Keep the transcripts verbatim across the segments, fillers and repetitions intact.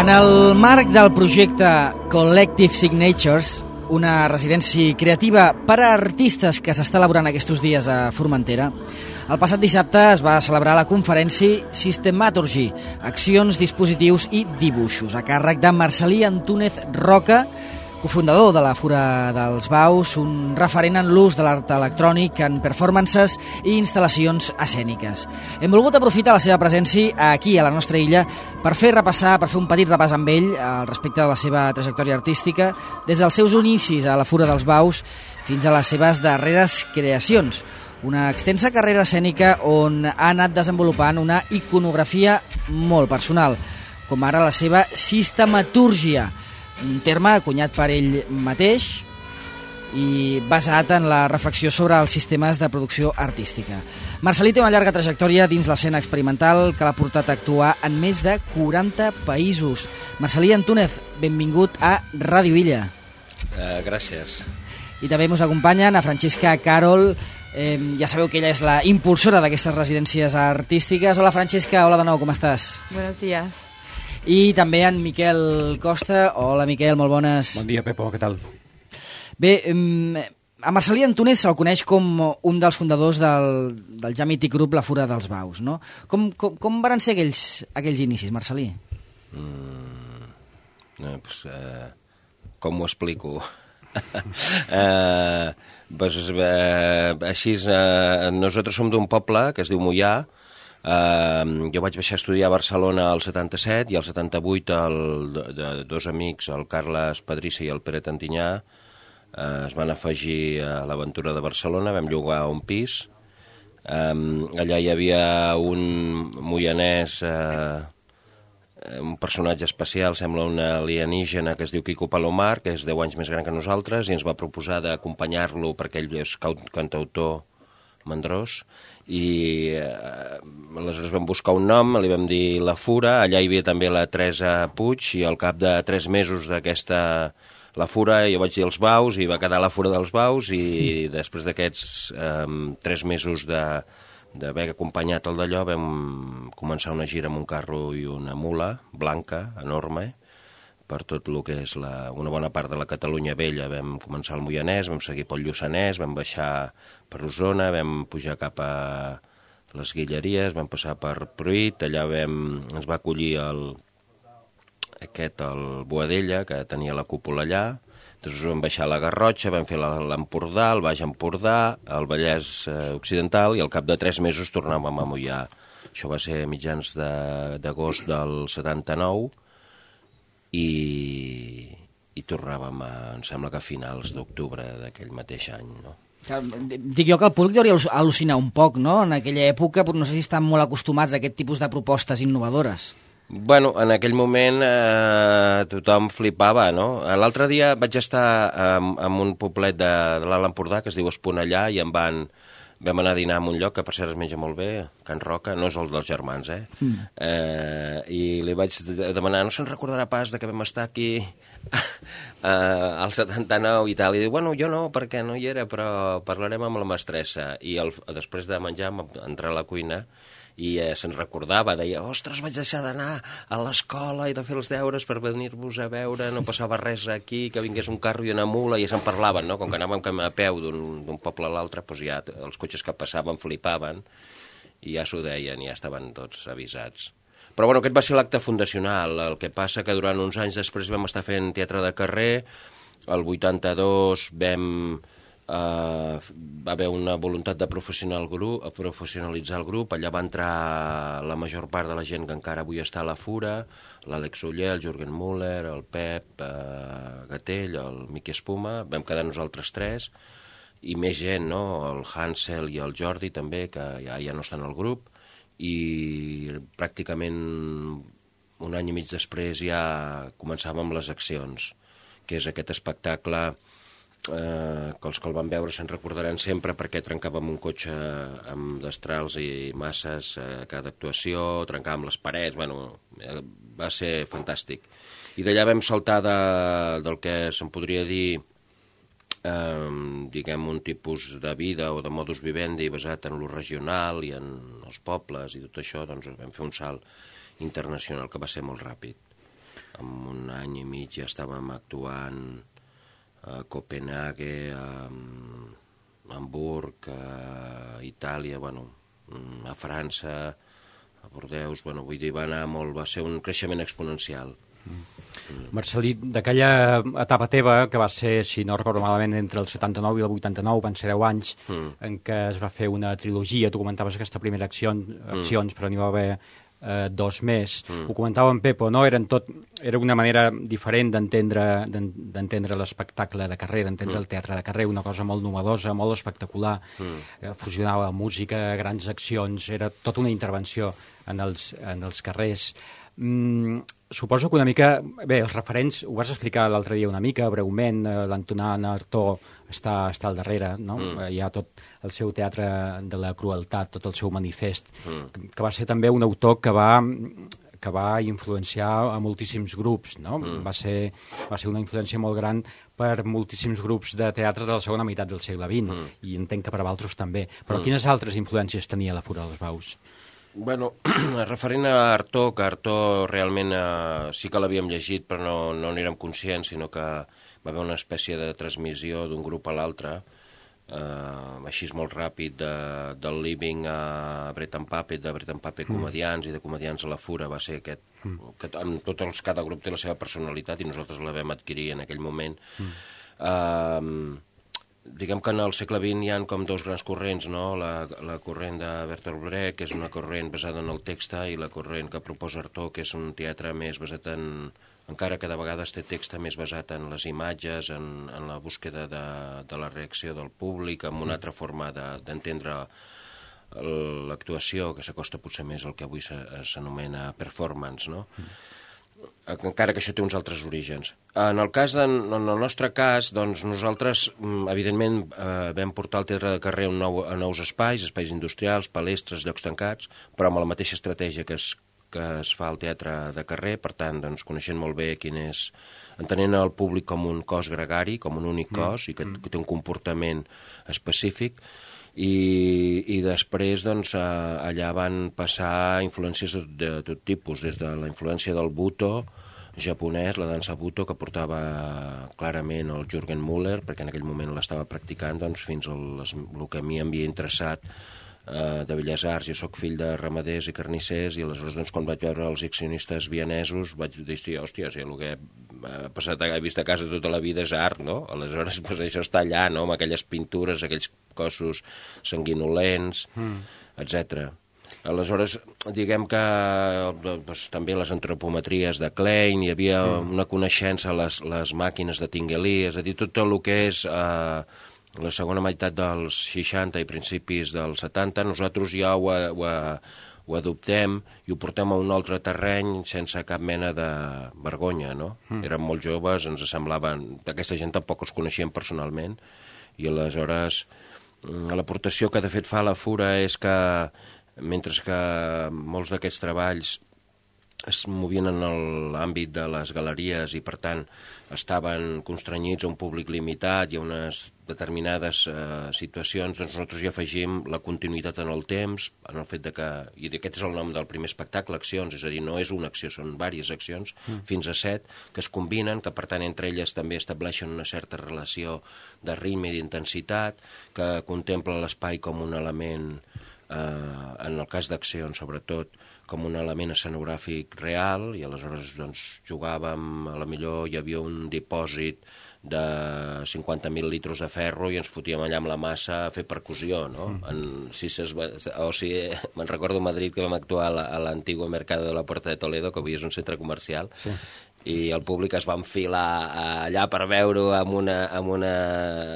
En el marc del projecte Collective Signatures, una residència creativa per a artistes que s'està elaborant aquests dies a Formentera, el passat dissabte es va celebrar la conferència Systematurgy, accions, dispositius i dibuixos, a càrrec de Marcel·lí Antúnez Roca, cofundador de la Fura dels Baus, un referent en l'ús de l'art electrònic en performances i instal·lacions escèniques. Hem volgut aprofitar la seva presència aquí, a la nostra illa, per fer repassar, per fer un petit repàs amb ell al respecte de la seva trajectòria artística, des dels seus inicis a la Fura dels Baus fins a les seves darreres creacions. Una extensa carrera escènica on ha anat desenvolupant una iconografia molt personal, com ara la seva sistematúrgia, un terme acunyat per ell mateix i basat en la reflexió sobre els sistemes de producció artística. Marcel·lí té una llarga trajectòria dins l'escena experimental que l'ha portat a actuar en més de quaranta països. Marcel·lí Antúnez, benvingut a Ràdio Illa. Uh, gràcies. I també ens acompanyen a Francesca Carol. Eh, ja sabeu que ella és la impulsora d'aquestes residències artístiques. Hola Francesca, hola de nou, com estàs? Buenos días. I també en Miquel Costa. Hola Miquel, molt bones. Bon dia Pepo, què tal? Bé, a Marcel·lí Antúnez se'l coneix com un dels fundadors del, del ja mític grup La Fura dels Baus, no? Com, com, com van ser aquells, aquells inicis, Marcel·lí? Mm, no, pues, eh, com ho explico? eh, pues, eh, així, eh, nosaltres som d'un poble que es diu Moià. Uh, jo vaig baixar a estudiar a Barcelona al setanta-set i al setanta-vuit el, de, de, dos amics, el Carles Pedrissa i el Pere Tantinyà, uh, es van afegir a l'aventura de Barcelona, vam llogar un pis. Um, allà hi havia un moianès, uh, un personatge especial, sembla un alienígena que es diu Quico Palomar, que és deu anys més gran que nosaltres, i ens va proposar d'acompanyar-lo perquè ell és cantautor mandrós, i eh, aleshores vam buscar un nom, li vam dir La Fura. Allà hi havia també la Teresa Puig, i al cap de tres mesos d'aquesta La Fura jo vaig dir Els Baus i va quedar La Fura dels Baus, i sí. Després d'aquests eh, tres mesos de d'haver acompanyat el d'allò vam començar una gira amb un carro i una mula blanca, enorme, per tot el que és la, una bona part de la Catalunya Vella. Vam començar al Moianès, vam seguir pel Lluçanès, vam baixar per Osona, vam pujar cap a les Guilleries, vam passar per Pruit, allà vam, ens va acollir el, aquest, el Boadella, que tenia la cúpula allà. Després vam baixar a la Garrotxa, vam fer l'Empordà, el Baix Empordà, el Vallès eh, Occidental, i al cap de tres mesos tornàvem a Moià. Això va ser a mitjans d'agost de, del setanta-nou, i, i tornàvem a, em sembla que a finals d'octubre d'aquell mateix any, no? Dic jo que el públic hauria al·lucinar un poc, no?, en aquella època, però no sé si estan molt acostumats a aquest tipus de propostes innovadores. Bueno, en aquell moment eh, tothom flipava, no? L'altre dia vaig estar en, en un poblet de, de l'Alt Empordà que es diu Esponellà, i em van... Vam anar a dinar en un lloc que per cert es menja molt bé, Can Roca, no és el dels germans, eh? Mm. eh I li vaig demanar, no se'n recordarà pas de que vam estar aquí eh, al setanta-nou i tal. I diu, bueno, jo no, perquè no hi era, però parlarem amb la mestressa. I el, després de menjar vam entrar a la cuina i eh, se'n recordava, deia, ostres, vaig deixar d'anar a l'escola i de fer els deures per venir-vos a veure, no passava res aquí, que vingués un carro i una mula, i ja se'n parlaven, no? Com que anàvem a peu d'un poble a l'altre, doncs ja els cotxes que passaven flipaven, i ja s'ho deien, i ja estaven tots avisats. Però bueno, aquest va ser l'acte fundacional. El que passa que durant uns anys després vam estar fent teatre de carrer, el vuitanta-dos vam... Uh, va haver una voluntat de professional grup, professionalitzar el grup. Allà va entrar la major part de la gent que encara avui està a la Fura, l'Àlex Oller, el Jürgen Müller, el Pep uh, Gatell, el Miqui Espuma. Vam quedar nosaltres tres, i més gent, no? El Hansel i el Jordi també, que ja, ja no estan al grup, i pràcticament un any i mig després ja començàvem les accions, que és aquest espectacle Eh, que els que el van veure se'n recordaran sempre, perquè trencàvem un cotxe amb destrals i masses a eh, cada actuació, trencàvem les parets, bueno, eh, va ser fantàstic. I d'allà vam saltar de, del que se'n podria dir eh, diguem un tipus de vida o de modus vivendi basat en lo regional i en els pobles i tot això, doncs vam fer un salt internacional que va ser molt ràpid. en un any i mig ja estàvem actuant a Copenhague, a Hamburg, a Itàlia, bueno, a França, a Bordeus, bueno, vull dir, va anar molt, va ser un creixement exponencial. Mm. Marcel·lí, d'aquella etapa teva, que va ser, si no recordo malament, entre el setanta-nou i el vuitanta-nou, van ser deu anys, mm. en què es va fer una trilogia, tu comentaves aquesta primera acció, accions, mm. però n'hi va haver eh, dos més. Mm. Ho comentava en Pepo, no? Eren tot, era una manera diferent d'entendre d'entendre l'espectacle de carrer, d'entendre mm. el teatre de carrer, una cosa molt novedosa, molt espectacular, mm. eh, fusionava música, grans accions, era tota una intervenció en els, en els carrers. Mm, suposo que una mica... Bé, els referents, ho vas explicar l'altre dia una mica, breument, eh, l'Antonin Artaud està, està al darrere, no? Mm. Hi ha tot el seu teatre de la crueltat, tot el seu manifest, mm. que, que va ser també un autor que va, que va influenciar a moltíssims grups, no? Mm. Va ser, va ser una influència molt gran per moltíssims grups de teatre de la segona meitat del segle vint, mm. i entenc que per a altres també. Però mm. quines altres influències tenia la Fura dels Baus? Bueno, referent a Artaud, que Artaud realment eh, sí que l'havíem llegit, però no, no n'érem conscients, sinó que va haver una espècie de transmissió d'un grup a l'altre, eh, així molt ràpid, de, del Living a Bret and Puppet, de Bret and Puppet mm. comedians i de comedians a la Fura, va ser aquest, mm. que amb tots els, cada grup té la seva personalitat i nosaltres la vam adquirir en aquell moment. Mm. Eh, Diguem que en el segle vint hi ha com dos grans corrents, no? La, la corrent de Bertolt Brecht, que és una corrent basada en el text, i la corrent que proposa Artaud, que és un teatre més basat en... encara que de vegades té text més basat en les imatges, en, en la búsqueda de, de la reacció del públic, en una altra forma d'entendre de, l'actuació, que s'acosta potser més al que avui s'anomena performance, no? Mm. Encara que això té uns altres orígens. En el cas de, en el nostre cas, doncs nosaltres, evidentment, eh, vam portar el teatre de carrer a, nou, a nous espais, espais industrials, palestres, llocs tancats, però amb la mateixa estratègia que es, que es fa al teatre de carrer, per tant, doncs, coneixent molt bé quin és, entenent el públic com un cos gregari, com un únic cos, mm. i que, que té un comportament específic, I, i després doncs, allà van passar influències de, de tot tipus, des de la influència del Buto japonès, la dansa Buto, que portava clarament el Jürgen Müller, perquè en aquell moment l'estava practicant, doncs, fins al el que a mi m'havia interessat eh, de Belles Arts. Jo sóc fill de ramaders i carnissers, i aleshores doncs, quan vaig veure els accionistes vienesos vaig dir, hòstia, si el que ha passat, he vist a casa tota la vida és art, no? Aleshores pues, això està allà, no? Amb aquelles pintures, aquells cossos sanguinolents, mm. etcètera. Aleshores, diguem que doncs, també les antropometries de Klein, hi havia mm. una coneixença a les, les màquines de Tinguely, és a dir, tot el que és eh, la segona meitat dels seixanta i principis dels setanta, nosaltres ja ho, ho, ho adoptem i ho portem a un altre terreny sense cap mena de vergonya, no? Mm. Érem molt joves, ens semblaven... Aquesta gent tampoc els coneixíem personalment, i aleshores l'aportació que de fet fa la Fura és que mentre que molts d'aquests treballs es movien en l'àmbit de les galeries i per tant estaven constrenyits a un públic limitat i a unes determinades eh, situacions, doncs nosaltres hi afegim la continuïtat en el temps, en el fet de que, i aquest és el nom del primer espectacle, accions, és a dir, no és una acció, són diverses accions, mm. fins a set, que es combinen, que per tant entre elles també estableixen una certa relació de ritme i d'intensitat, que contempla l'espai com un element, eh, en el cas d'accions sobretot, com un element escenogràfic real, i aleshores doncs, jugàvem, a la millor hi havia un dipòsit de cinquanta mil litros de ferro i ens fotíem allà amb la massa a fer percussió, no? Mm. En, si ses, o sigui, me'n recordo a Madrid que vam actuar a l'antigo Mercado de la Puerta de Toledo, que avui és un centre comercial, sí. I el públic es va enfilar allà per veure amb una, amb una...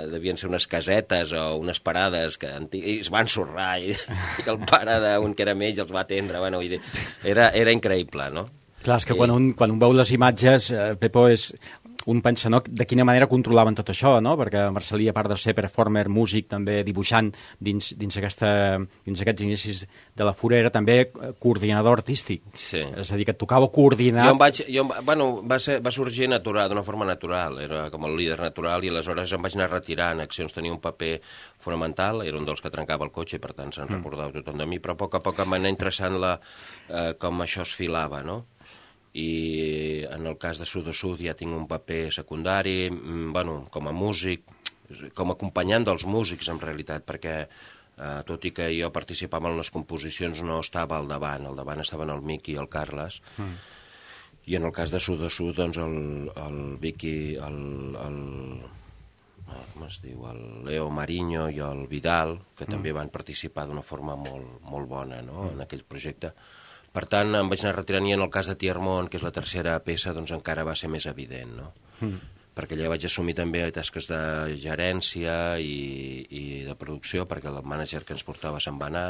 devien ser unes casetes o unes parades que i es van ensorrar i, i el pare d'un que era amb ells els va atendre, bueno, era, era increïble, no? Clar, és que I... quan, un, quan un veu les imatges, eh, Pepo, és... un pensa, no?, de quina manera controlaven tot això, no? Perquè Marcel·lí, a part de ser performer, músic, també dibuixant dins, dins, aquesta, dins aquests inicis de la Fura, era també coordinador artístic. Sí. És a dir, que et tocava coordinar... Jo em vaig... Jo, bueno, va, ser, va sorgir natural, d'una forma natural, era com el líder natural, i aleshores em vaig anar retirant accions, tenia un paper fonamental, era un dels que trencava el cotxe, per tant se'n mm. recordava tothom de mi, però a poc a poc em va anar interessant la, eh, com això es filava, no? i en el cas de Sud a Sud ja tinc un paper secundari, bueno, com a músic, com a acompanyant dels músics en realitat, perquè eh, tot i que jo participava en les composicions no estava al davant, al davant estaven el Miqui i el Carles, mm. i en el cas de Sud a Sud, doncs el, el Vicky, el, el, com es diu, el Leo Mariño i el Vidal, que mm. també van participar d'una forma molt, molt bona, no?, mm. en aquell projecte. Per tant, em vaig anar retirant i en el cas de Tiermont, que és la tercera peça, doncs encara va ser més evident, no? Mm. Perquè allà vaig assumir també tasques de gerència i, i de producció, perquè el mànager que ens portava se'n va anar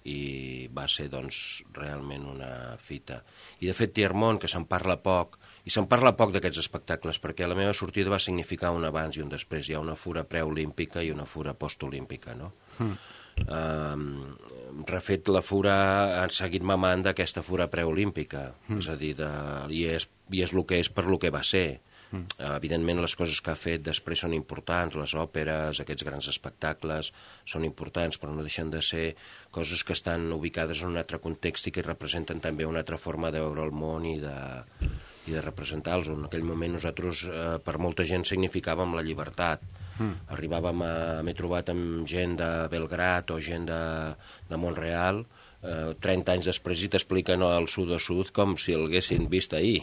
i va ser, doncs, realment una fita. I, de fet, Tiermont, que se'n parla poc, i se'n parla poc d'aquests espectacles, perquè la meva sortida va significar un abans i un després. Hi ha una fura preolímpica i una fura postolímpica, no? Mm. Uh, refet la fura, han seguit mamant d'aquesta fura preolímpica, mm. és a dir, de, i, és, i és el que és per lo que va ser. Mm. Uh, evidentment les coses que ha fet després són importants, les òperes, aquests grans espectacles són importants, però no deixen de ser coses que estan ubicades en un altre context i que representen també una altra forma de veure el món i de, i de representar-los. En aquell moment nosaltres, uh, per molta gent, significàvem la llibertat. Mm. Arribàvem a... m'he trobat amb gent de Belgrad o gent de, de Montreal eh, trenta anys després i t'expliquen el Sud a Sud com si l'haguessin vist ahir.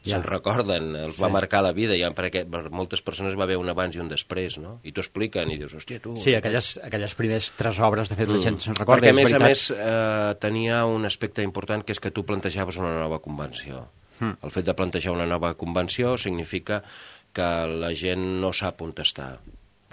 Ja. Se'n recorden, els sí. va marcar la vida, ja perquè per moltes persones va haver un abans i un després, no? I t'ho expliquen i dius, hòstia, tu... Sí, aquelles, aquelles primers tres obres, de fet, mm. la gent se'n recorda. Perquè, a més a més, eh, tenia un aspecte important, que és que tu plantejaves una nova convenció. Mm. El fet de plantejar una nova convenció significa que la gent no sap on està.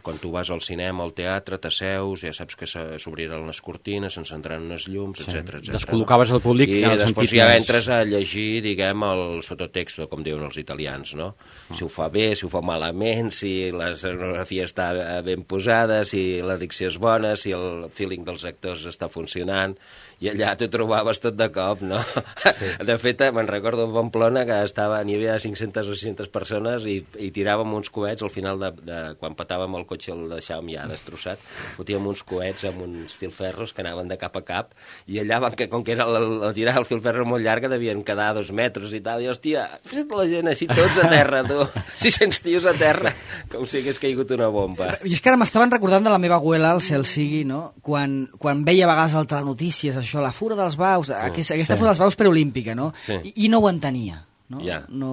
Quan tu vas al cinema, al teatre, t'asseus, ja saps que s'obriran les cortines, s'encendran les llums, sí. etcètera, etcètera. Descol·locaves el públic... I després ja més... entres a llegir, diguem, el sototexto, com diuen els italians, no? Mm. Si ho fa bé, si ho fa malament, si la escenografia està ben posada, si la dicció és bona, si el feeling dels actors està funcionant... I allà t'ho trobaves tot de cop, no? Sí. De fet, me'n recordo a Pamplona que estava, n'hi havia cinc-centes o sis-centes persones i, i tiràvem uns coets al final de, de quan petàvem el cotxe, el deixàvem ja destrossat, fotíem uns coets amb uns filferros que anaven de cap a cap i allà, van, que, com que era la, la tirada del filferro molt llarga, devien quedar dos metres i tal, i hòstia, la gent així tots a terra, tu, sis-cents tios a terra, com si hagués caigut una bomba. I és que ara m'estaven recordant de la meva abuela, el cel sigui, no? Quan, quan veia a vegades al telenotícies, això, la fura dels baus, mm. aquesta, aquesta sí. fura dels baus preolímpica, no? Sí. I, I no ho entenia. No? Yeah. No,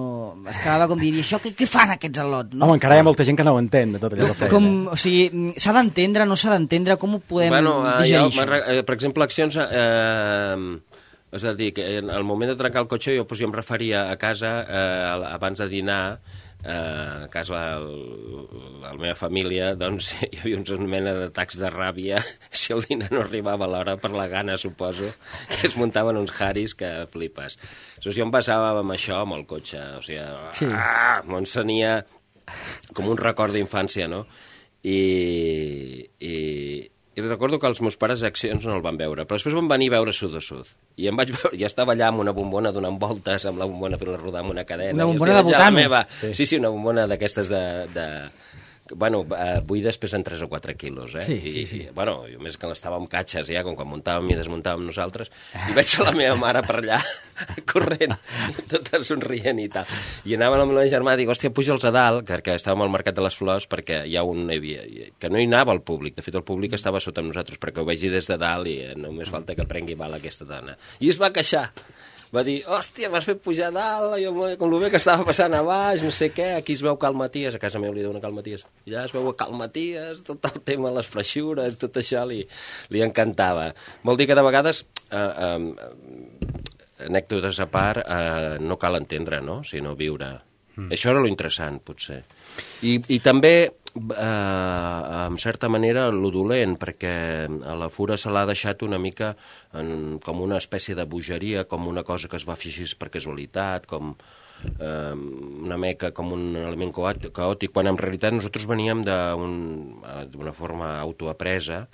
es quedava com dir, això què, què fan aquests al·lots? No? Home, encara hi ha molta gent que no ho entén, de tot allò que feia. Com, o sigui, s'ha d'entendre, no s'ha d'entendre, com ho podem bueno, digerir, jo, això? Per exemple, accions... Eh, és a dir, que en el moment de trencar el cotxe jo, doncs, jo em referia a casa, eh, abans de dinar, Uh, a casa la, la meva família, doncs hi havia uns mena d'atacs de ràbia si el dinar no arribava a l'hora, per la gana, suposo, que es muntaven uns haris que flipes. Llavors jo em basava amb això, amb el cotxe, o sigui, sí. ah, m'ensenia com un record d'infància, no? I, i, i recordo que els meus pares accions no el van veure, però després van venir a veure Sud a Sud. I em vaig veure, ja estava allà amb una bombona donant voltes, amb la bombona fent-la rodar amb una cadena. Una bombona de butano. Sí. sí, sí, una bombona d'aquestes de... de... Bueno, buides pesen tres o quatre quilos, eh? Sí, I, sí, sí. I, bueno, jo més que l'estàvem catxes, ja, com quan muntàvem i desmuntàvem nosaltres, i veig a la meva mare per allà, corrent, i tota somrient i tal. I anava amb el meu germà, dic, hòstia, puja'ls a dalt, perquè estàvem al Mercat de les Flors, perquè hi ha un... que no hi anava el públic, de fet el públic estava sota amb nosaltres, perquè ho vegi des de dalt i només falta que prengui mal aquesta dona. I es va queixar. Va dir, hòstia, m'has fet pujar dalt, jo, com el bé que estava passant a baix, no sé què, aquí es veu Cal Maties, a casa meva li diuen Cal Maties, i allà es veu a Cal Maties, tot el tema de les freixures, tot això li, li encantava. Vol dir que de vegades, eh, eh, anècdotes a part, eh, no cal entendre, no?, sinó viure. Mm. Això era lo interessant, potser. I, i també... Eh, en certa manera lo dolent, perquè a la fura se l'ha deixat una mica en, com una espècie de bogeria, com una cosa que es va fer així per casualitat, com eh, una mica com un element caòtic, quan en realitat nosaltres veníem d'una forma autoapresa,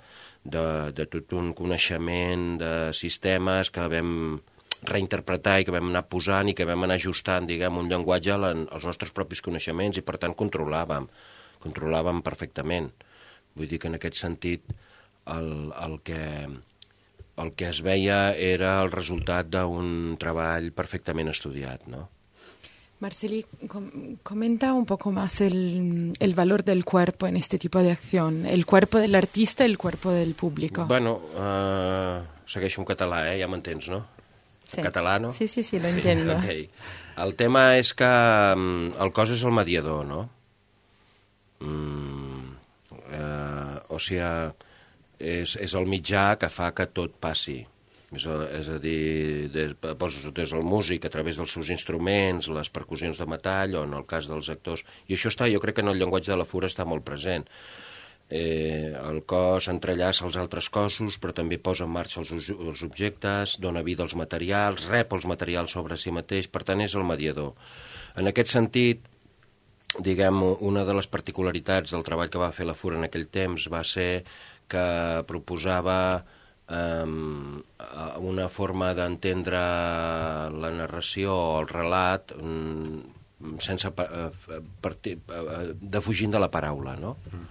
de, de tot un coneixement de sistemes que vam reinterpretar i que vam anar posant i que vam anar ajustant, diguem, un llenguatge als nostres propis coneixements i per tant controlàvem controlàvem perfectament. Vull dir que en aquest sentit el, el, que, el que es veia era el resultat d'un treball perfectament estudiat, no? Marceli, com comenta un poco más el, el valor del cuerpo en este tipo de acción, el cuerpo del artista y el cuerpo del público. Bueno, uh, segueixo en català, eh? Ja m'entens, no? Sí. Català, no? Sí, sí, sí, lo entiendo. Sí, okay. El tema és que um, el cos és el mediador, no? Mm, uh, o sigui, és, és el mitjà que fa que tot passi. És a, és a dir, des, des del músic, a través dels seus instruments, les percussions de metall, o en el cas dels actors. I això està, jo crec que en el llenguatge de la fura està molt present. Eh, el cos entrellaça els altres cossos, però també posa en marxa els, els objectes, dona vida als materials, rep els materials sobre si mateix, per tant és el mediador. En aquest sentit, diguem, una de les particularitats del treball que va fer la fura en aquell temps va ser que proposava Um, una forma d'entendre la narració o el relat um, sense uh, partir, uh, defugint de la paraula, no? Mm.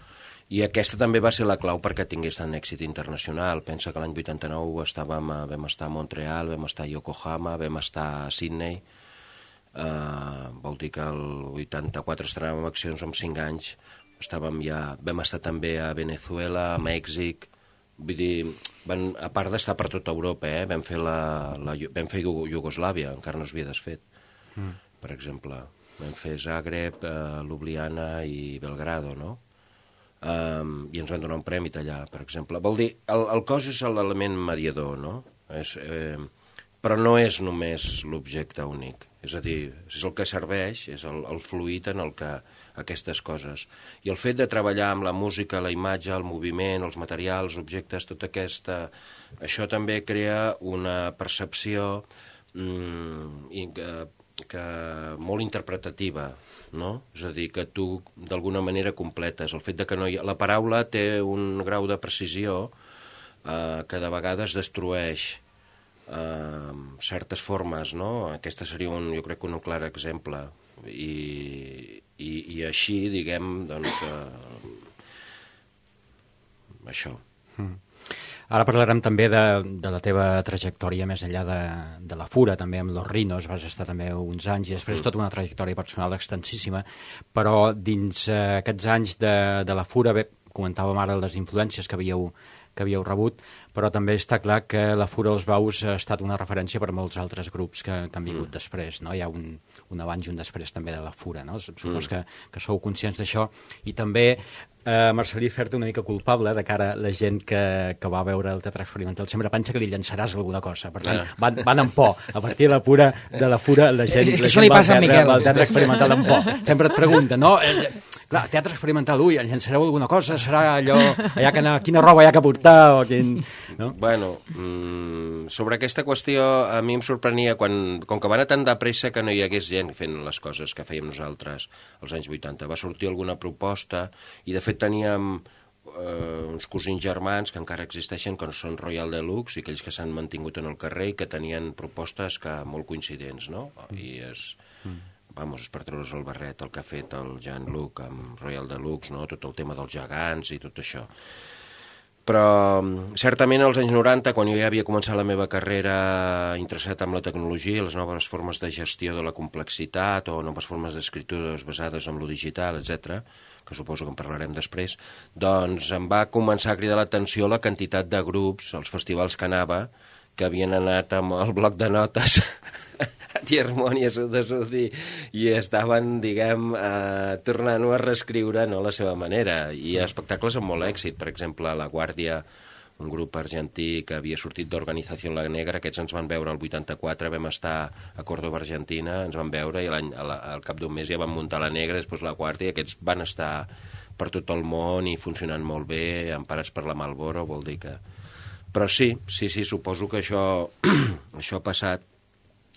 I aquesta també va ser la clau perquè tingués tant èxit internacional. Pensa que l'any vuitanta-nou estàvem, vam estar a Montreal, vam estar a Yokohama, vam estar a Sydney. Uh, vol dir que el vuitanta-quatre estrenàvem accions amb cinc anys. Estàvem ja, vam estar també a Venezuela, a Mèxic. Vull dir, van, a part d'estar per tota Europa, eh? vam fer, la, la, vam fer Iugoslàvia, encara no s'havia desfet, mm. per exemple. Vam fer Zagreb, eh, Ljubljana i Belgrado, no? Um, I ens van donar un premi allà, per exemple. Vol dir, el, el cos és l'element mediador, no? És, eh, però no és només l'objecte únic. És a dir, és el que serveix, és el, el fluid en el que aquestes coses. I el fet de treballar amb la música, la imatge, el moviment, els materials, els objectes, tot aquesta... Això també crea una percepció mm, i que, que molt interpretativa, no? És a dir, que tu d'alguna manera completes. El fet de que no hi ha... La paraula té un grau de precisió eh, que de vegades destrueix Uh, certes formes, no? Aquesta seria, un, jo crec, que un clar exemple. I, i, i així, diguem, doncs, uh, això. Mm. Ara parlarem també de, de la teva trajectòria més enllà de, de la fura, també amb Los Rinos, vas estar també uns anys, i després mm. tota una trajectòria personal extensíssima, però dins uh, aquests anys de, de la fura, bé, comentàvem ara les influències que havíeu que havíeu rebut, però també està clar que la Fura dels Baus ha estat una referència per a molts altres grups que, que han vingut mm. després, no? Hi ha un, un abans i un després també de la Fura, no? Supos mm. que, que sou conscients d'això. I també, eh, Marcel·lí, fer-te una mica culpable de cara a la gent que, que va veure el teatre experimental. Sempre pensa que li llançaràs alguna cosa. Per tant, van, van amb por. A partir de la, pura, de la Fura, la gent, és la gent gent va al teatre, Miquel. al teatre experimental amb por. Sempre et pregunta, no? Eh, clar, teatre experimental, ui, llançareu alguna cosa? Serà allò, allà que anar, quina roba hi ha que portar? O quin... no? Bueno, mmm, sobre aquesta qüestió a mi em sorprenia quan, com que va anar tan de pressa que no hi hagués gent fent les coses que fèiem nosaltres als anys vuitanta. Va sortir alguna proposta i de fet teníem eh, uns cosins germans que encara existeixen, que són Royal Deluxe, i aquells que s'han mantingut en el carrer i que tenien propostes que molt coincidents, no? I és... Mm. Vamos, és per treure's el barret, el que ha fet el Jean-Luc amb Royal Deluxe, no? Tot el tema dels gegants i tot això. Però certament als anys noranta, quan jo ja havia començat la meva carrera interessat en la tecnologia, les noves formes de gestió de la complexitat o noves formes d'escritures basades en lo digital, etcètera, que suposo que en parlarem després, doncs em va començar a cridar l'atenció la quantitat de grups, als festivals que anava, que havien anat amb el bloc de notes a Tiermont i a Sud-Sud i estaven, diguem, eh, tornant-ho a reescriure, no, a la seva manera. I espectacles amb molt èxit. Per exemple, La Guàrdia, un grup argentí que havia sortit d'Organització La Negra, aquests ens van veure el vuitanta-quatre, vam estar a Córdoba, Argentina, ens van veure i l'any, al, al cap d'un mes ja van muntar La Negra, després La Guàrdia, i aquests van estar per tot el món i funcionant molt bé, emparats per la Marlboro, vol dir que... Però sí, sí, sí, suposo que això, això ha passat.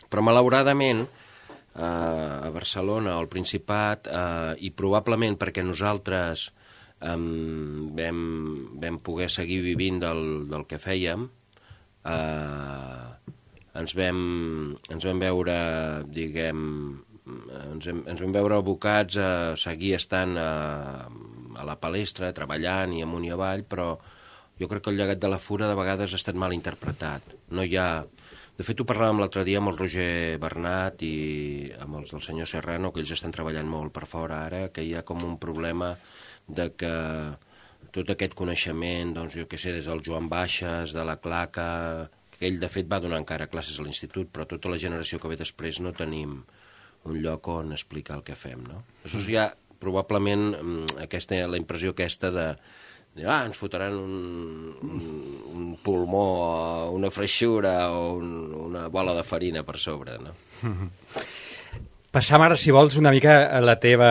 Però malauradament, eh, a Barcelona o al Principat, eh, i probablement perquè nosaltres eh, vam, vam poder seguir vivint del, del que fèiem, eh, ens, vam, ens vam veure, diguem, ens vam, ens vam veure abocats a seguir estant a, a la palestra, treballant i amunt i avall, però jo crec que el llegat de la Fura de vegades ha estat mal interpretat. No hi ha... De fet, ho parlàvem l'altre dia amb el Roger Bernat i amb els del senyor Serrano, que ells estan treballant molt per fora ara, que hi ha com un problema de que tot aquest coneixement, doncs jo què sé, des del Joan Baixes, de la Claca, que ell de fet va donar encara classes a l'institut, però tota la generació que ve després no tenim un lloc on explicar el que fem, no? Llavors hi ha probablement aquesta, la impressió aquesta de ah, ens fotran un, un, un pulmó, una freixura o un, una bola de farina per sobre, no? Passam ara, si vols, una mica a la teva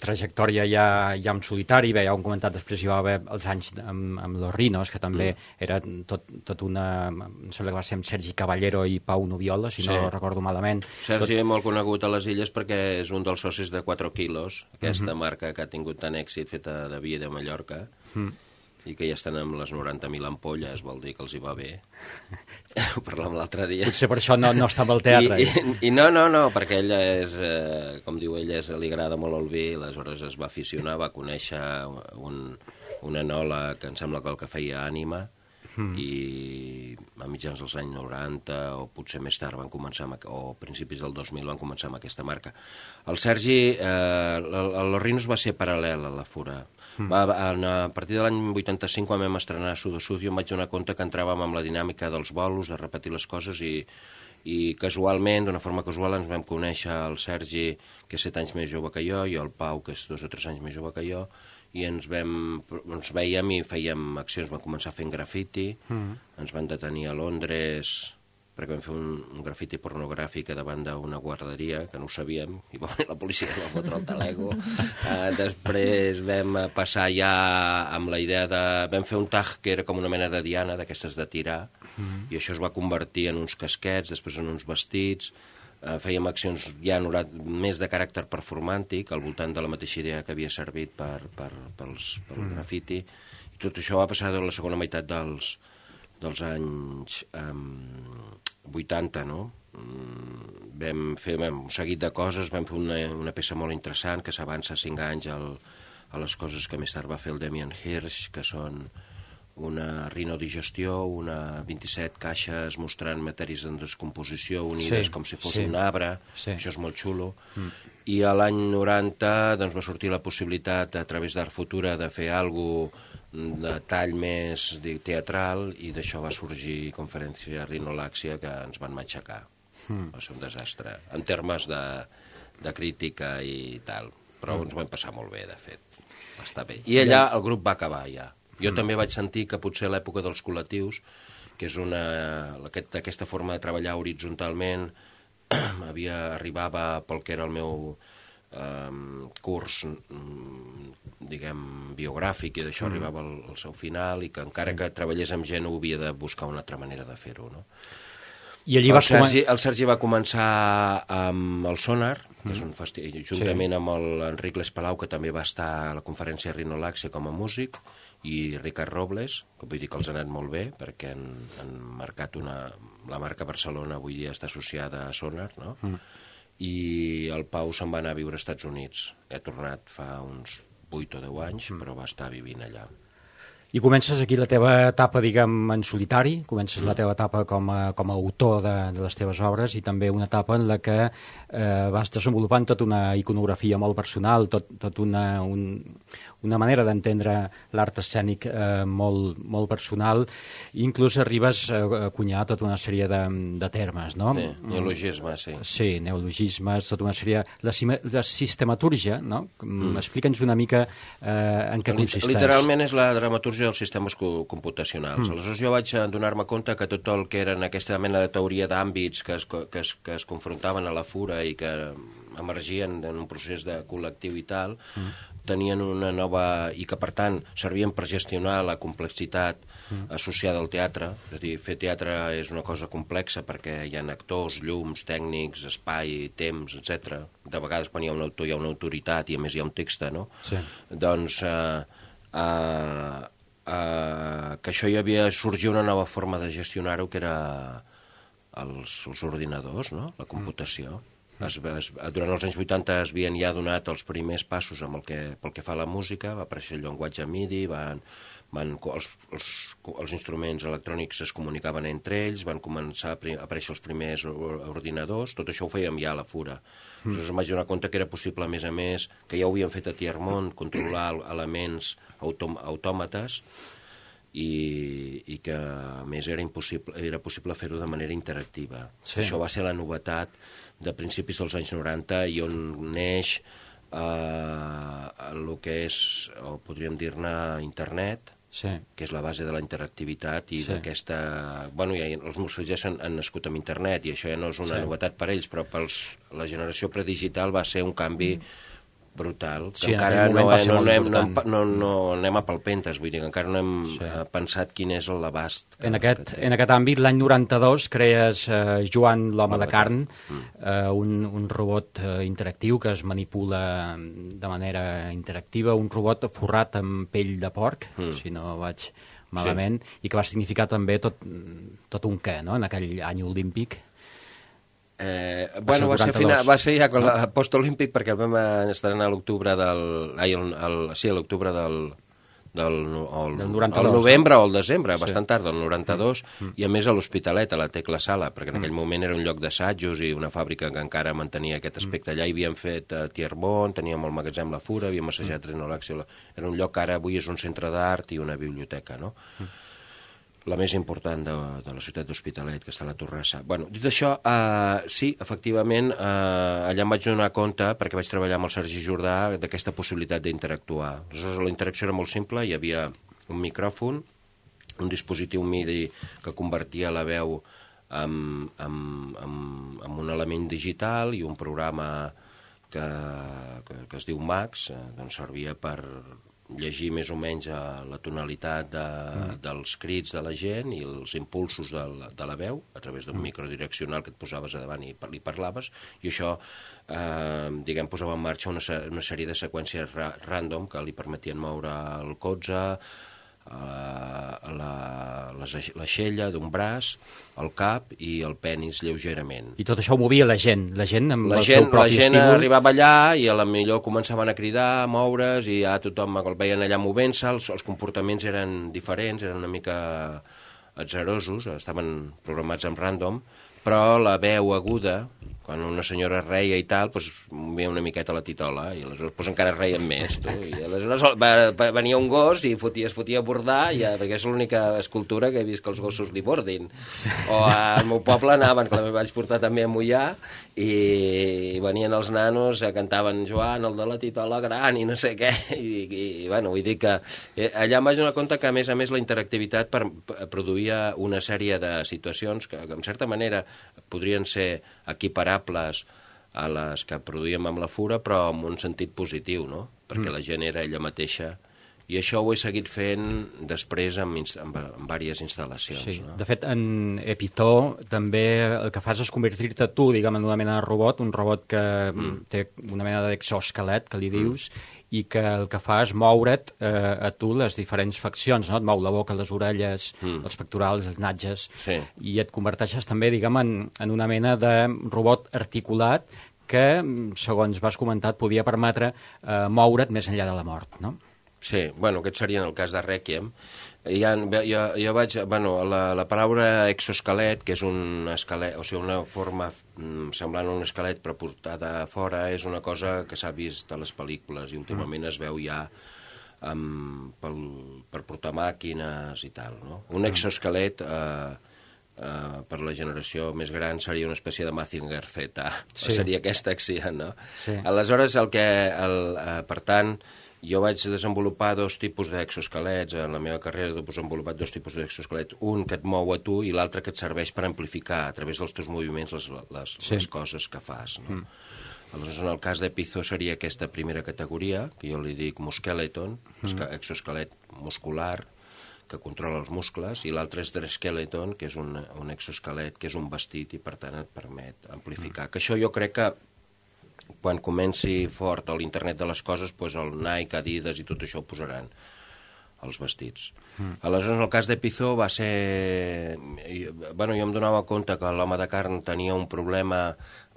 trajectòria ja, ja en solitari. Bé, ja ho hem comentat, després hi va haver els anys amb, amb Los Rinos, que també mm. era tot, tot una... Em sembla que va ser amb Sergi Caballero i Pau Noviola, si sí. no recordo malament. Sergi tot... és molt conegut a les Illes perquè és un dels socis de quatre quilos, aquesta mm-hmm. marca que ha tingut tant èxit feta de vi de Mallorca, mm. i que ja estan amb les noranta mil ampolles, vol dir que els hi va bé. Ho parlàvem l'altre dia. Potser per això no, no estava al teatre. I, i, I no, no, no, perquè ella és, eh, com diu ella, és, li agrada molt el vi, aleshores es va aficionar, va conèixer un, un enòleg que em sembla que el que feia Ànima, mm. i a mitjans dels anys noranta o potser més tard van començar amb, o principis del dos mil van començar amb aquesta marca. El Sergi, eh, el, el Los Rinos va ser paral·lel a la Fura. Mm. Va, a partir de l'any vuitanta-cinc, quan vam estrenar Sudo Sudio, em vaig donar compte que entràvem amb la dinàmica dels bolos, de repetir les coses, i, i casualment, d'una forma casual, ens vam conèixer el Sergi, que és set anys més jove que jo, i el Pau, que és dos o tres anys més jove que jo, i ens, vam, ens veiem i fèiem accions, vam començar fent grafiti, mm. ens van detenir a Londres perquè vam fer un, un grafiti pornogràfic davant d'una guarderia, que no ho sabíem, i va venir la policia que va fotre el talego. Uh, després vam passar ja amb la idea de... Vam fer un tag que era com una mena de diana, d'aquestes de tirar, mm. i això es va convertir en uns casquets, després en uns vestits. Uh, fèiem accions ja més de caràcter performàntic, al voltant de la mateixa idea que havia servit per, per, pels, pel mm. grafiti. I tot això va passar a la segona meitat dels... dels anys um, vuitanta, no? Um, vam fer vam, un seguit de coses, vam fer una, una peça molt interessant que s'avança cinc anys al, a les coses que més tard va fer el Damien Hirst, que són una rinodigestió, una vint-i-set caixes mostrant matèries en descomposició unides sí, com si fos sí, un arbre, sí. Això és molt xulo. Mm. I a l'any noranta doncs, va sortir la possibilitat a través d'Art Futura de fer alguna cosa de tall més teatral, i d'això va sorgir Conferència Rinolàxia, que ens van matxacar. Mm. Va ser un desastre, en termes de, de crítica i tal, però mm. ens vam passar molt bé, de fet. Va estar bé. I allà el grup va acabar, ja. Jo mm. també vaig sentir que potser l'època dels col·lectius, que és una, aquest, aquesta forma de treballar horitzontalment, havia, arribava pel que era el meu eh, curs, diguem, biogràfic, i d'això mm. arribava al, al seu final, i que encara que treballés amb gent ho havia de buscar una altra manera de fer-ho, no? I allí el, va Sergi, el Sergi va començar amb el Sonar, que mm. és un festi... juntament sí. amb l'Enric Les Palau, que també va estar a la conferència Rinolàxia com a músic, i Ricard Robles, que vull dir que els ha anat molt bé, perquè han, han marcat una... La marca Barcelona avui dia està associada a Sonar, no? Mm. I el Pau se'n va anar a viure als Estats Units. Ha tornat fa uns vuit o deu anys, mm. però va estar vivint allà. I comences aquí la teva etapa, diguem, en solitari, comences mm. la teva etapa com a, com a autor de, de les teves obres, i també una etapa en la que eh, vas desenvolupant tota una iconografia molt personal, tot, tot una, un, una manera d'entendre l'art escènic eh, molt, molt personal, i inclús arribes a, a cunyar tota una sèrie de, de termes, no? Sí, neologismes, sí. Sí, neologismes, tota una sèrie de, de sistematúrgia, no? Mm. Explica'ns una mica eh, en què consisteix. Literalment és la dramatúrgia dels sistemes computacionals. Mm. Aleshores jo vaig donar-me compte que tot el que eren aquesta mena de teoria d'àmbits que es, que, es, que es confrontaven a la Fura i que emergien en un procés de col·lectiu i tal, mm. tenien una nova... i que, per tant, servien per gestionar la complexitat mm. associada al teatre. És a dir, fer teatre és una cosa complexa perquè hi ha actors, llums, tècnics, espai, temps, etcètera. De vegades, quan hi ha un autor, hi ha una autoritat i, a més, hi ha un text, no? Sí. Doncs... Eh, eh, Uh, que això hi havia sorgit una nova forma de gestionar-ho, que era els, els ordinadors, no? La computació. Es, es, durant els anys vuitanta es havien ja donat els primers passos amb el que, pel que fa a la música, va aparèixer el llenguatge MIDI, van, van, els, els, els instruments electrònics es comunicaven entre ells, van començar a aparèixer els primers ordinadors, tot això ho fèiem ja a la Fura. Mm. Aleshores em vaig donar compte que era possible, a més a més, que ja ho havíem fet a Tiermont, controlar elements autò autòmates, i, i que a més era, impossible, era possible fer-ho de manera interactiva. Sí. Això va ser la novetat de principis dels anys noranta i on neix eh, el que és, o podríem dir-ne, internet, sí. que és la base de la interactivitat i sí. d'aquesta... Bueno, ja, els meus fills ja han, han nascut amb internet i això ja no és una sí. novetat per ells, però per la generació predigital va ser un canvi mm. brutal, que sí, encara no, eh, no, anem, no, no, no anem a palpentes, vull dir que encara no hem sí. pensat quin és l'abast. En, aquest, en aquest àmbit, l'any noranta-dos, crees eh, Joan l'home de carn, mm. eh, un, un robot eh, interactiu que es manipula de manera interactiva, un robot forrat amb pell de porc, mm. si no vaig malament, sí. i que va significar també tot, tot un què, no?, en aquell any olímpic. Eh, bueno, va ser, final, va ser ja con la post-olímpic perquè el vam estrenar a l'octubre del... Ai, el, el, sí, a l'octubre del... del el, del noranta-dos, el novembre no? o el desembre, sí. bastant tard, del noranta-dos, mm. i a més a l'Hospitalet, a la Tecla Sala, perquè en aquell mm. moment era un lloc d'assajos i una fàbrica que encara mantenia aquest aspecte. Allà hi havíem fet uh, Tiermont, teníem el magatzem La Fura, havíem assajat mm. Renolax, era un lloc que ara avui és un centre d'art i una biblioteca, no? Mm. La més important de, de la ciutat d'Hospitalet, que està a la Torrassa. Bueno, dit això, eh, sí, efectivament, eh, allà em vaig donar compte, perquè vaig treballar amb el Sergi Jordà, d'aquesta possibilitat d'interactuar. Aleshores, la interacció era molt simple, hi havia un micròfon, un dispositiu MIDI que convertia la veu en, en, en, en un element digital i un programa que, que, que es diu Max, eh, doncs servia per llegir més o menys la tonalitat de, mm. dels crits de la gent i els impulsos de la, de la veu a través d'un mm. microdireccional que et posaves a davant i li parlaves, i això eh, diguem, posava en marxa una, una sèrie de seqüències ra random que li permetien moure el colze, eh, la, l'aixella d'un braç, el cap i el penis lleugerament. I tot això ho movia la gent, la gent amb la el gent, seu propi estímul. La gent estímul. arribava allà i a la millor començaven a cridar, a moure's, i ja tothom el veien allà movent-se, els, els comportaments eren diferents, eren una mica atzarosos, estaven programats en random, però la veu aguda, quan una senyora reia i tal, doncs movia una miqueta la titola, i aleshores doncs, encara reien més. Tu. I aleshores va, va, venia un gos i fotia, es fotia a bordar, i, perquè és l'única escultura que he vist que els gossos li bordin. O al meu poble anaven, que la vaig portar també a Moià, i venien els nanos, cantaven Joan, el de la titola gran, i no sé què, i, i bueno, vull dir que allà em vaig donar compte que, a més a més, la interactivitat per, produïa una sèrie de situacions que, que en certa manera, podrien ser equiparables a les que produïem amb la Fura, però en un sentit positiu, no? Perquè mm. la gent era ella mateixa. I això ho he seguit fent després amb, amb, amb diverses instal·lacions. Sí. No? De fet, en Epitó també el que fas és convertir-te tu, diguem, en una mena de robot, un robot que mm. té una mena d'exoesquelet, que li dius, mm. i que el que fa és moure't eh, a tu les diferents faccions, no? Et mou la boca, les orelles, mm. els pectorals, els natges, sí. i et converteixes també, diguem, en, en una mena de robot articulat que, segons vas comentar, et podia permetre eh, moure't més enllà de la mort, no? Sí, bueno, aquest seria en el cas de Requiem. Ja, jo, jo vaig, bueno, la, la paraula exoesquelet, que és un esquelet, o sigui, una forma mm, semblant a un esquelet però portada a fora, és una cosa que s'ha vist a les pel·lícules i últimament es veu ja um, pel, per portar màquines i tal, no? Un exoesquelet, eh, eh, per la generació més gran, seria una espècie de Mazinger Z, sí. seria aquesta acció, no? Sí. Aleshores, el que, el, eh, per tant, jo vaig desenvolupar dos tipus d'exoesquelets, en la meva carrera he desenvolupat dos tipus d'exoesquelet, un que et mou a tu i l'altre que et serveix per amplificar a través dels teus moviments les, les, sí. les coses que fas. No? Mm. Aleshores, en el cas d'Epitó seria aquesta primera categoria, que jo li dic musqueleton, mm. exoesquelet muscular, que controla els muscles, i l'altre és Dreskeleton, que és un, un exoesquelet, que és un vestit i per tant et permet amplificar. Mm. Que això jo crec que quan comenci fort l'internet de les coses, doncs el Nike, Adidas i tot això ho posaran els vestits. Mm. Aleshores, en el cas d'Epitó va ser... Bueno, jo em donava compte que l'home de carn tenia un problema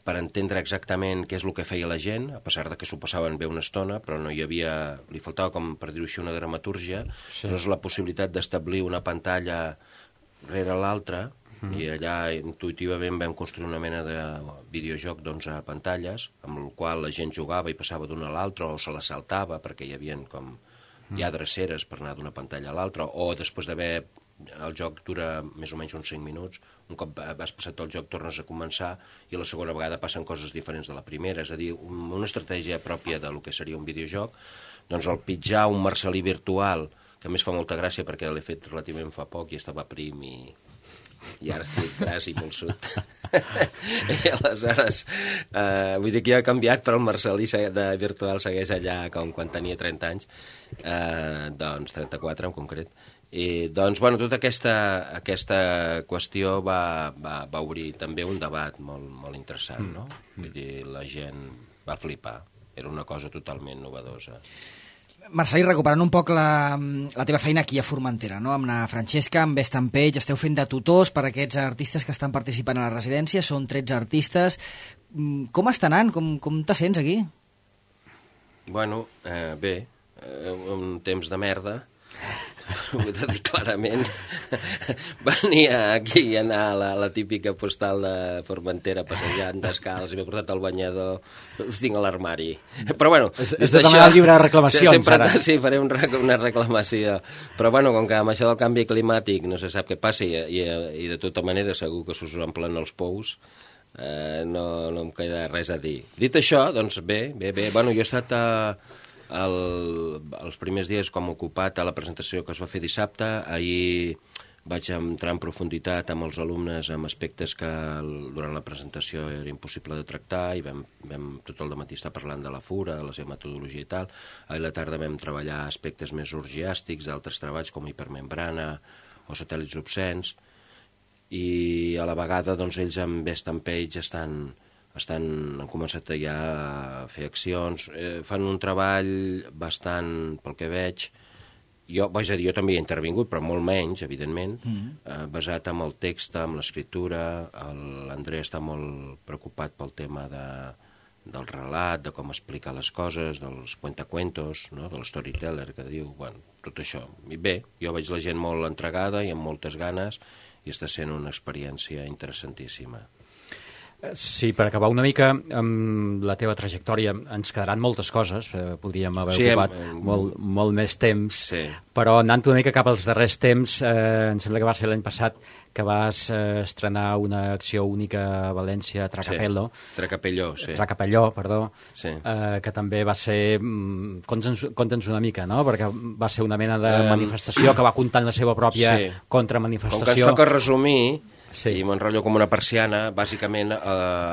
per entendre exactament què és el que feia la gent, a pesar de que s'ho passaven bé una estona, però no hi havia... li faltava, com per dir-ho així, una dramatúrgia. Sí. Llavors la possibilitat d'establir una pantalla rere l'altra, mm. i allà intuïtivament vam construir una mena de videojoc d'onze pantalles, amb el qual la gent jugava i passava d'una a l'altra, o se la saltava, perquè hi havia com mm. ja dreceres per anar d'una pantalla a l'altra, o després d'haver... el joc dura més o menys uns cinc minuts, un cop has passat el joc tornes a començar i la segona vegada passen coses diferents de la primera, és a dir, una estratègia pròpia del que seria un videojoc. Doncs el pitjar un Marcel·lí virtual, que a més fa molta gràcia perquè l'he fet relativament fa poc i estava prim i, i ara estic gras i molt sud. I aleshores, eh, vull dir que jo he canviat, però el Marcel·lí de virtual segueix allà com quan tenia trenta anys, eh, doncs trenta-quatre en concret. I, doncs, bueno, tota aquesta, aquesta qüestió va, va, va obrir també un debat molt, molt interessant, no? Vull dir, la gent va flipar. Era una cosa totalment novedosa. Marcel·lí, recuperant un poc la, la teva feina aquí a Formentera, no? Amb la Francesca, amb Estampeix, esteu fent de tutors per a aquests artistes que estan participant a la residència, són tretze artistes. Com està anant? Com, com te sents aquí? Bueno, eh, bé, eh, un temps de merda, ho he de dir clarament. Venir aquí i anar a la, la típica postal de Formentera passejant descalç i m'he portat el banyador, ho tinc a l'armari. Però bueno, és, és de demanar el llibre de reclamacions, sempre, ara. Sí, faré un, una reclamació. Però bueno, com que amb això del canvi climàtic no se sap què passa i, i, i de tota manera segur que s'us omplen els pous, eh, no, no em queda res a dir. Dit això, doncs bé, bé, bé. Bueno, jo he estat a... El, els primers dies com ocupat a la presentació que es va fer dissabte. Ahir vaig entrar en profunditat amb els alumnes amb aspectes que durant la presentació era impossible de tractar i vam, vam tot el dematí estar parlant de la fura, de la seva metodologia i tal. Ahir a la tarda vam treballar aspectes més orgiàstics d'altres treballs com hipermembrana o satèl·lits obscens i a la vegada doncs, ells amb Estampeix estan... Estan, han començat ja a fer accions, eh, fan un treball bastant, pel que veig, jo, vaig a dir, jo també hi he intervingut, però molt menys, evidentment, mm. eh, basat en el text, en l'escriptura. L'André està molt preocupat pel tema de, del relat, de com explicar les coses, dels cuentacuentos, no? Del storyteller que diu, bueno, tot això. I bé, jo veig la gent molt entregada i amb moltes ganes i està sent una experiència interessantíssima. Sí, per acabar una mica amb la teva trajectòria, ens quedaran moltes coses, eh, podríem haver sí, ocupat hem, molt, molt més temps, sí. Però anant una mica cap als darrers temps, eh, em sembla que va ser l'any passat que vas eh, estrenar una acció única a València, Tracapello. Sí. Tracapelló, sí. Tracapelló, perdó, sí. eh, que també va ser... Conta'ns, conta'ns una mica, no? Perquè va ser una mena de um, manifestació que va comptant la seva pròpia sí. contramanifestació. Com que ens toca resumir... Sí. I m'enrotllo com una persiana, bàsicament eh,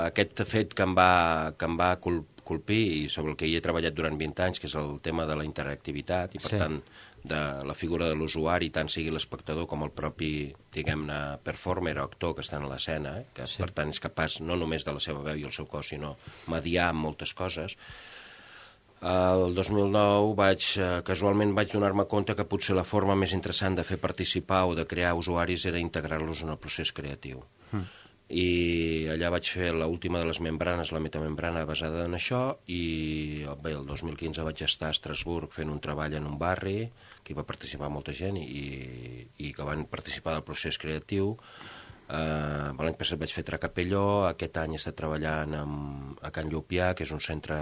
aquest fet que em va, que em va colpir i sobre el que hi he treballat durant vint anys, que és el tema de la interactivitat i per sí. tant de la figura de l'usuari, tant sigui l'espectador com el propi, diguem-ne, performer o actor que està en l'escena, eh, que sí. per tant és capaç no només de la seva veu i el seu cos, sinó mediar amb moltes coses. El dos mil nou vaig, eh, casualment vaig donar-me compte que potser la forma més interessant de fer participar o de crear usuaris era integrar-los en el procés creatiu. Mm. I allà vaig fer l'última de les membranes, la metamembrana basada en això, i bé, el dos mil quinze vaig estar a Estrasburg fent un treball en un barri, que hi va participar molta gent i, i que van participar del procés creatiu. Uh, l'any passat vaig fer Tracapelló, aquest any he estat treballant amb, a Can Llupià, que és un centre...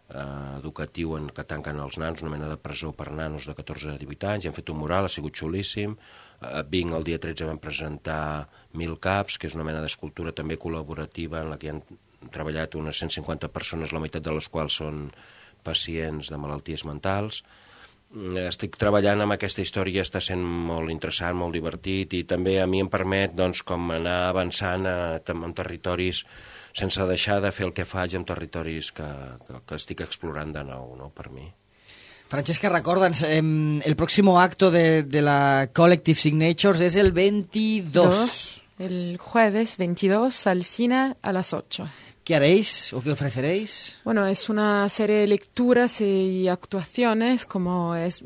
Uh, educatiu en què tanquen els nanos, una mena de presó per nanos de catorze a divuit anys, i han fet un mural, ha sigut xulíssim. A uh, Vinc el dia tretze vam presentar Mil Caps, que és una mena d'escultura també col·laborativa en la que han treballat unes cent cinquanta persones, la meitat de les quals són pacients de malalties mentals. Estic treballant amb aquesta història, està sent molt interessant, molt divertit, i també a mi em permet doncs, com anar avançant a, en territoris sense deixar de fer el que faig en territoris que, que, que estic explorant de nou, no, per mi. Francesca, recorda'ns, eh, el próximo acto de, de la Collective Signatures es el veintidós. Dos, el jueves veintidós al cine a las ocho. ¿Qué haréis o qué ofreceréis? Bueno, es una serie de lecturas y actuaciones, como es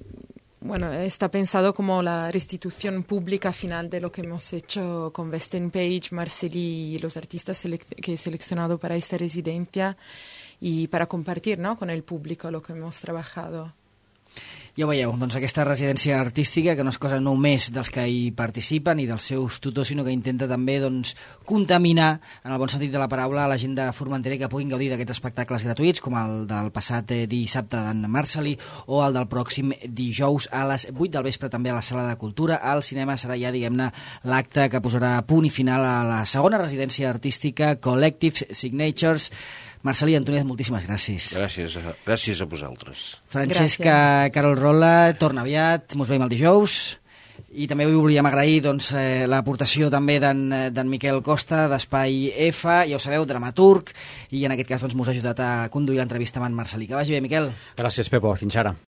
bueno, está pensado como la restitución pública final de lo que hemos hecho con Western Page, Marceli y los artistas selec- que he seleccionado para esta residencia y para compartir, ¿no?, con el público lo que hemos trabajado. Ja ho veieu, doncs aquesta residència artística, que no és cosa només dels que hi participen i dels seus tutors, sinó que intenta també doncs, contaminar, en el bon sentit de la paraula, a la gent de Formentera que puguin gaudir d'aquests espectacles gratuïts, com el del passat eh, dissabte d'en Marceli o el del pròxim dijous a les vuit del vespre també a la Sala de Cultura. Al cinema serà ja, diguem-ne, l'acte que posarà punt i final a la segona residència artística Collective Signatures. Marceli Antoniez, moltíssimes gràcies. Gràcies a, gràcies a vosaltres. Francesca Carol Rola, torna aviat, mos veiem el dijous. I també avui volíem agrair doncs, eh, l'aportació també d'en Miquel Costa, d'Espai F, ja ho sabeu, dramaturg, i en aquest cas doncs, mos ha ajudat a conduir l'entrevista amb en Marceli. Que vagi bé, Miquel. Gràcies, Pepo. Fins ara.